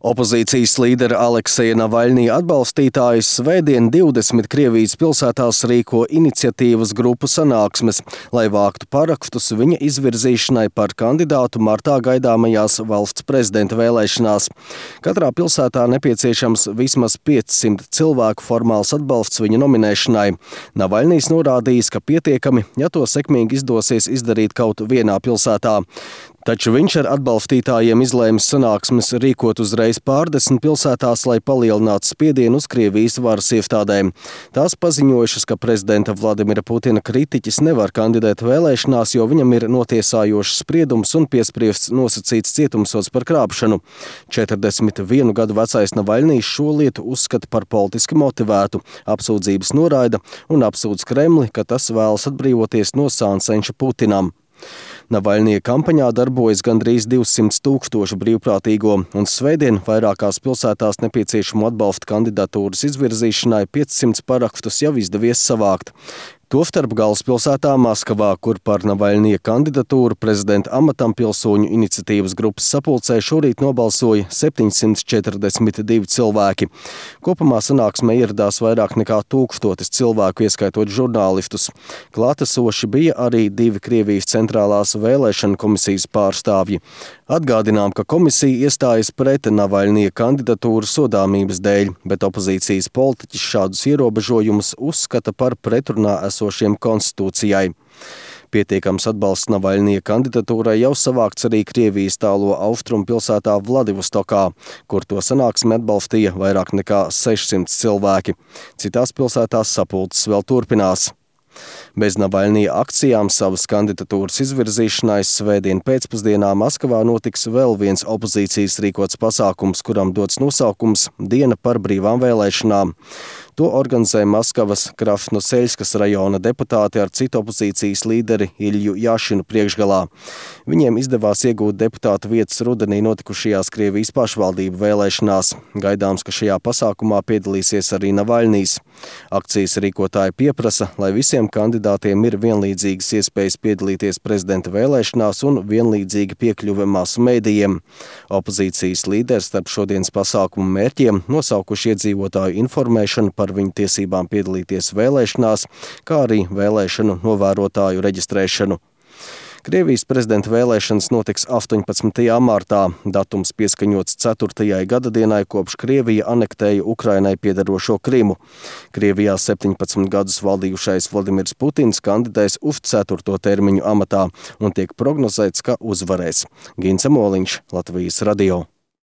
Opozīcijas līdera Alekseja Navaļnija atbalstītājus svētdien 20 Krievijas pilsētās rīko iniciatīvas grupu sanāksmes, lai vāktu parakstus viņa izvirzīšanai par kandidātu martā gaidāmajās valsts prezidenta vēlēšanās. Katrā pilsētā nepieciešams vismaz 500 cilvēku formāls atbalsts viņa nominēšanai. Navaļnijs norādījis, ka pietiekami, ja to sekmīgi izdosies izdarīt kaut vienā pilsētā. Taču viņš ar atbalstītājiem izlēmis sanāksmes rīkot uzreiz pārdesmit pilsētās, lai palielinātu spiedienu uz Krievijas varas iestādēm. Tās paziņojušas, ka prezidenta Vladimira Putina kritiķis nevar kandidēt vēlēšanās, jo viņam ir notiesājošs spriedums un piespriests nosacīts cietumsods par krāpšanu. 41 gadu vecais Navaļnijs šo lietu uzskata par politiski motivētu, apsūdzības noraida un apsūdz Kremli, ka tas vēlas atbrīvoties no sāncenša Putinam. Navaļnija kampaņā darbojas gandrīz 200 000 brīvprātīgo, un svētdien vairākās pilsētās nepieciešamo atbalsta kandidatūras izvirzīšanai 500 parakstus jau izdevies savākt. Tostarp galvaspilsētā Maskavā, kur par Navaļnija kandidatūru prezidenta amatam pilsoņu iniciatīvas grupas sapulcē šorīt nobalsoja 742 cilvēki. Kopumā sanāksmē ieradās vairāk nekā 1000 cilvēku, ieskaitot žurnālistus. Klātesoši bija arī 2 Krievijas centrālās vēlēšana komisijas pārstāvji. Atgādinām, ka komisija iestājas pret Navaļnija kandidatūru sodāmības dēļ, bet opozīcijas politiķis šādus ierobežojumus uzskata par pretrunā esošiem konstitūcijai. Pietiekams atbalsts Navaļnija kandidatūrai jau savākts arī Krievijas tālo austrumu pilsētā Vladivostokā, kur to sanāksmi atbalstīja vairāk nekā 600 cilvēki. Citās pilsētās sapulces vēl turpinās. Bez Navaļnija akcijām savas kandidatūras izvirzīšanai svētdien pēcpusdienā Maskavā notiks vēl viens opozīcijas rīkots pasākums, kuram dots nosaukums Diena par brīvām vēlēšanām. To organizē Maskavas Krasnoseļskas rajona deputāti ar citu opozīcijas līderi Ilju Jašinu priekšgalā. Viņiem izdevās iegūt deputātu vietas rudenī notikušajās Krievijas pašvaldību vēlēšanās. Gaidāms, ka šajā pasākumā piedalīsies arī Navaļnijs. Akcijas rīkotāji pieprasa, lai visiem kandidātiem ir vienlīdzīgas iespējas piedalīties prezidenta vēlēšanās un vienlīdzīga piekļuve masu mēdījiem. Opozīcijas līderis starp šodienas pasākumu mērķiem nosaukuši iedzīvotāju informēšanu par viņu tiesībām piedalīties vēlēšanās, kā arī vēlēšanu novērotāju reģistrēšanu. Krievijas prezidenta vēlēšanas notiks 18. martā, datums pieskaņots 4. gadadienai, kopš Krievija anektēja Ukrainai piederošo Krimu. Krievijā 17 gadus valdījušais Vladimirs Putins kandidēs uz 4. termiņu amatā un tiek prognozēts, ka uzvarēs. Gince Moliņš, Latvijas radio.